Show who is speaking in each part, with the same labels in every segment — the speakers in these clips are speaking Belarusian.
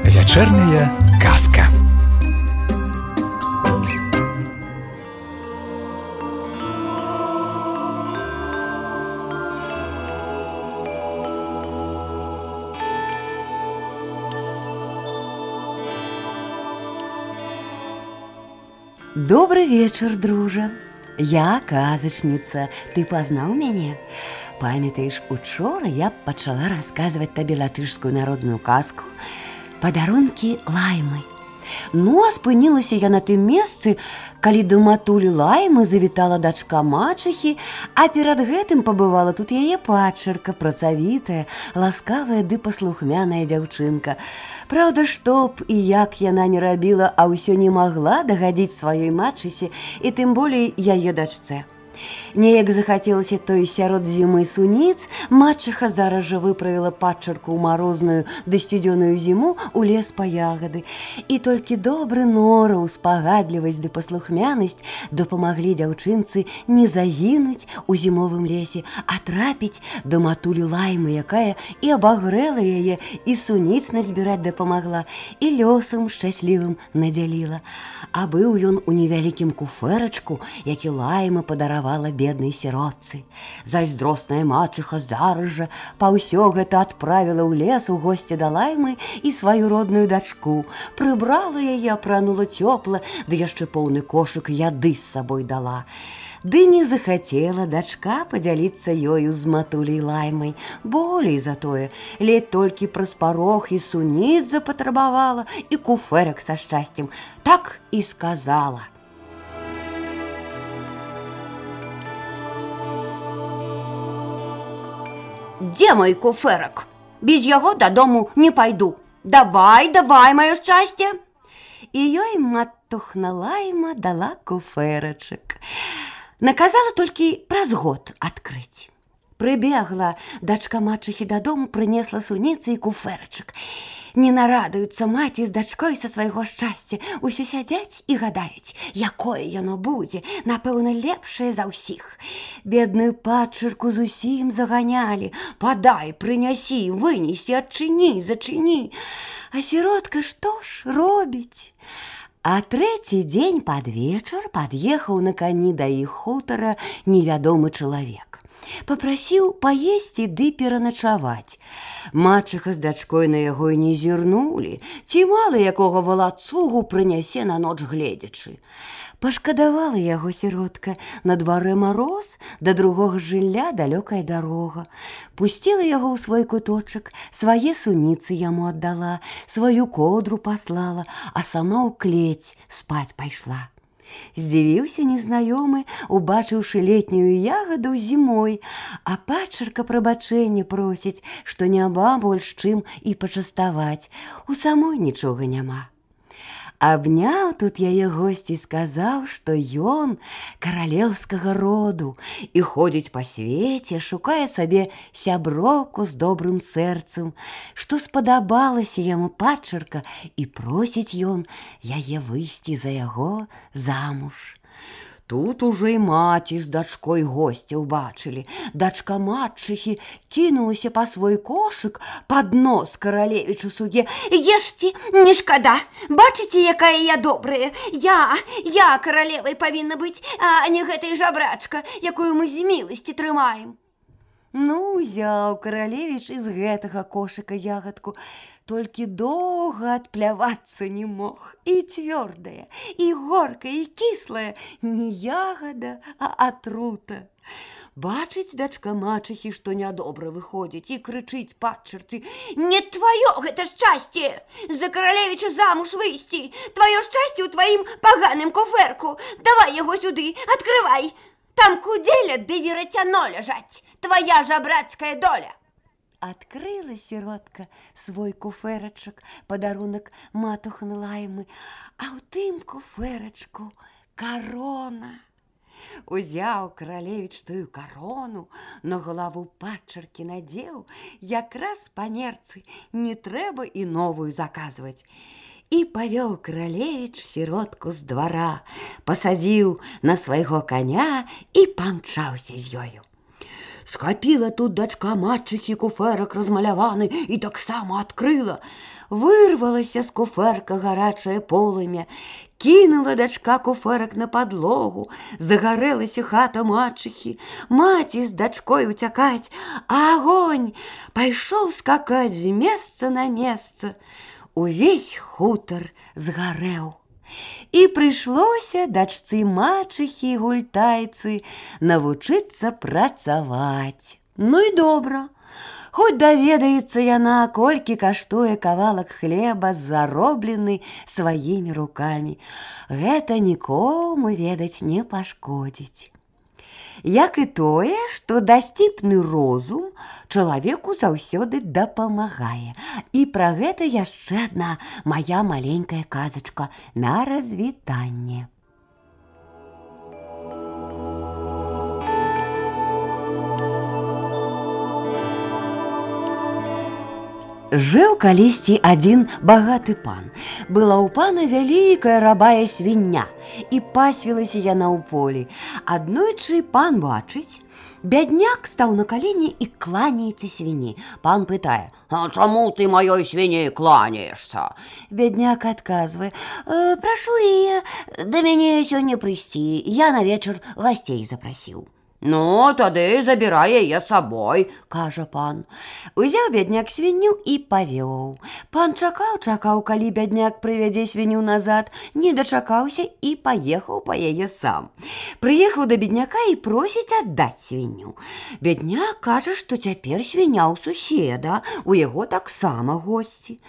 Speaker 1: Вечерняя казка.
Speaker 2: Добрый вечер, дружа. Я казачніца. Ты пазнаў мяне? Памятаеш, учора я пачала расказваць табе латышскую народную казку «Падарункі Лаймы». Ну, а спынілася я на тым месцы, калі да матулі Лаймы завітала дачка мачыхі, а перад гэтым пабывала тут яе падчарка, працавітая, ласкавая ды паслухмяная дзяўчынка. Праўда, што б і як яна не рабіла, а ўсё не магла дагадзіць сваёй мачысе і тым болей яе дачцэ. Неяк захацелася той сярод зімы суніц, мачыха зараз жа выправіла падчарку ў марозную ды сцюдзёную зіму ў лес па ягады. І толькі добры нораў, спагадлівасць ды паслухмянасць дапамаглі дзяўчынцы не загінуць у зімовым лесе, а трапіць да матулі Лаймы, якая і абагрэла яе, і суніц назбіраць дапамагла, і лёсам шчаслівым надзяліла. А быў ён у невялікім куфэрачку, які Лайма падаравала беднай сіротцы. Зайздросная мачыха зараз жа па ўсё гэта адправіла ў лес у госці да Лаймы і сваю родную дачку. Прыбрала яе, апранула цёпла, ды яшчэ поўны кошык яды з сабой дала. Ды не захацела дачка падзяліцца ёю з матуляй Лаймай. Болей за тое, ледь толькі праз парог і суніц запатрабавала, і куфэрак са шчасцем. Так і сказала: «Дзе мой куфэрак? Без яго дадому не пайду. Давай, давай, маё шчасце!» І ёй матухна Лайма дала куфэрачак. Наказала толькі праз год адкрыць. Прыбегла дачка мачыхі дадому, прынесла суніцы і куфэрачак. Не нарадуюцца маці з дачкой са свайго шчасця. Усё сядзяць і гадаюць, якое яно будзе, напэўна, лепшае за ўсіх. Бедную падчарку зусім заганялі. Падай, прынясі, вынесі, адчыні, зачыні. А сіротка што ж робіць? А трэці дзень пад вечар пад'ехаў на кані да іх хутара невядомы чалавек. Папрасіў паесці ды пераначаваць. Мачыха з дачкой на яго і не зірнулі, ці мала якога валацугу прынясе на ноч гледзячы. Пашкадавала яго сіротка. На дварэ мароз, да другога жылля далёкая дарога. Пусціла яго ў свой куточак, свае суніцы яму аддала, сваю коўдру паслала, а сама ў клець спаць пайшла. Здзівіўся незнаёмы, убачыўшы летнюю ягаду зімой, а падчарка прабачэння просіць, што няма больш чым і пачаставаць. У самой нічога няма. Абняў тут яе госць і сказаў, што ён каралеўскага роду і ходзіць па свеце, шукае сабе сяброўку з добрым сэрцам, што спадабалася яму падчарка, і просіць ён яе выйсці за яго замуж. Тут ужо і маці з дачкой госця ўбачылі. Дачка мачыхі кінулася па свой кошык пад нос каралевічу суддзе. «Ешце, не шкада! Бачыце, якая я добрая! Я каралевай павінна быць, а не гэтай жабрачка, якую мы з міласці трымаем!» Ну, узяў каралевіч з гэтага кошыка ягадку, толькі доўга адплявацца не мог. І цвёрдая, і горкая, і кіслая, не ягада, а атрута. Бачыць дачка мачыхі, што нядобра выходзіць, і крычыць падчарцы: «Не тваё гэта шчасце! За каралевіча замуж выйсці! Тваё шчасце ў тваім паганым куфэрку! Давай яго сюды, адкрывай! Там кудзеля ды верацяно ляжаць! Твоя жабрацкая доля!» Адкрыла сіротка свой куфэрачак, падарунак матухны Лаймы, а ў тым куфэрачку карона. Узяў каралевіч тую карону, на галаву падчаркі надзеў, якраз па мерцы, не трэба і новую заказваць. і павёў каралевіч сіротку з двара, пасадзіў на свайго коня і памчаўся з ёю. Схапіла тут дачка матчыхі куфэрак размаляваны і таксама адкрыла. Вырвалася з куфэрка гарачае полымя, кінула дачка куфэрак на падлогу, загарэлася хата матчыхі, маці з дачкой уцякаць, а агонь пайшоў скакаць з месца на месца. Увесь хутар згарэў. І прыйшлося дачцы мачыхі гультайцы навучыцца працаваць. Ну і добра, хоць даведаецца яна, колькі каштуе кавалак хлеба, зароблены сваімі рукамі. Гэта нікому, ведаць, не пашкодзіць. Як і тое, што дасціпны розум чалавеку заўсёды дапамагае. І пра гэта яшчэ адна мая маленькая казачка на развітанне. Жыў калісьці адзін багаты пан. Была ў пана вялікая рабая свіння, і пасвілася яна ў полі. Аднойчы пан бачыць, бядняк стаў на калені і кланяецца свіні. Пан пытае: «А чаму ты маёй свіні кланяешься?» Бядняк адказвае: «Прашу яе да мяне сёння прыйсці, я на вечар гасцей запрасіў». «Ну, тады забірай яе з сабой», – кажа пан. Узяў бядняк свінню і павёў. Пан чакаў, калі бядняк прывядзе свінню назад, не дачакаўся і паехаў па яе сам. Прыехаў да бедняка і просіць аддаць свінню. Бедняк кажа, што цяпер свіня ў суседа, у яго таксама госці.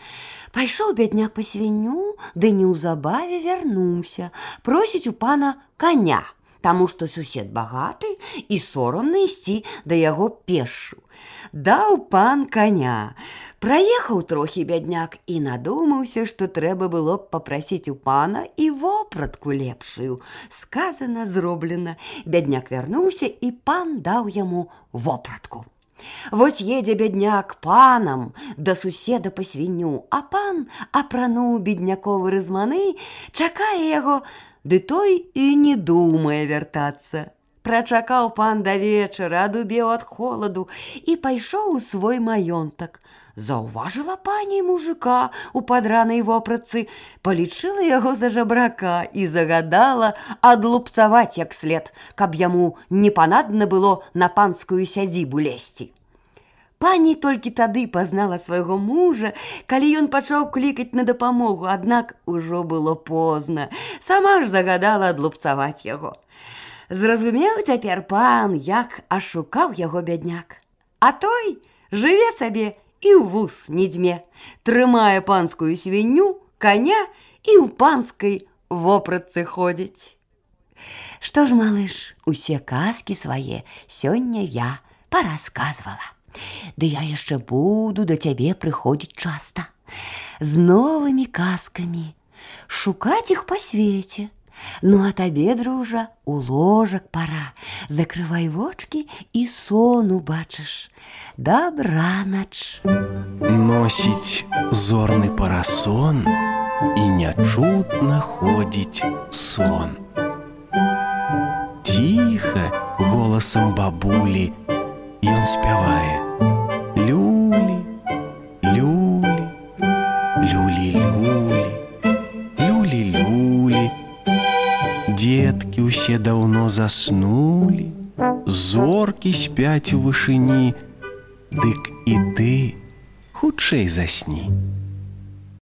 Speaker 2: Пайшоў бядняк па свінню, ды неўзабаве вярнуўся, просіць у пана коня, таму што сусед багаты і сорамна ісці да яго пешшу. Даў пан коня. Праехаў трохі бядняк і надумаўся, што трэба было б папрасіць у пана і вопратку лепшую. Сказана, зроблена. Бядняк вярнуўся, і пан даў яму вопратку. Вось едзе бядняк панам да суседа па свінню, а пан апрануў бедняковы рызманы, чакае яго, ды той і не думае вяртацца. Прачакаў пан да вечара, адубеў ад холаду і пайшоў у свой маёнтак. Заўважыла пані мужика у падранай вопратцы, палічыла яго за жабрака і загадала адлупцаваць як след, каб яму не панадна было на панскую сядзібу лезці. Пані толькі тады пазнала свайго мужа, калі ён пачаў клікаць на дапамогу, аднак ужо было позна. Сама ж загадала адлупцаваць яго. Зразумеў цяпер пан, як ашукаў яго бядняк. А той жыве сабе і ў вус не дзьме, трымае панскую свінню, коня і ў панскай вопратцы ходзіць. Што ж, малыш, усе казкі свае сёння я парасказвала. Ды я яшчэ буду да цябе прыходзіць часта, з новымі казкамі, шукаць іх па свеце. Ну, а табе, дружа, у ложак пара. Закрывай вочкі і сон убачыш. Дабранач.
Speaker 3: Носіць зорны парасон і нячутна ходзіць сон. Ціха голасам бабулі ён спявае: люлі, люлі, люлі-люлі, люлі-люлі. Дзеткі ўсе даўно заснулі, зоркі спяць у вышыні, дык і ты хутчэй засні.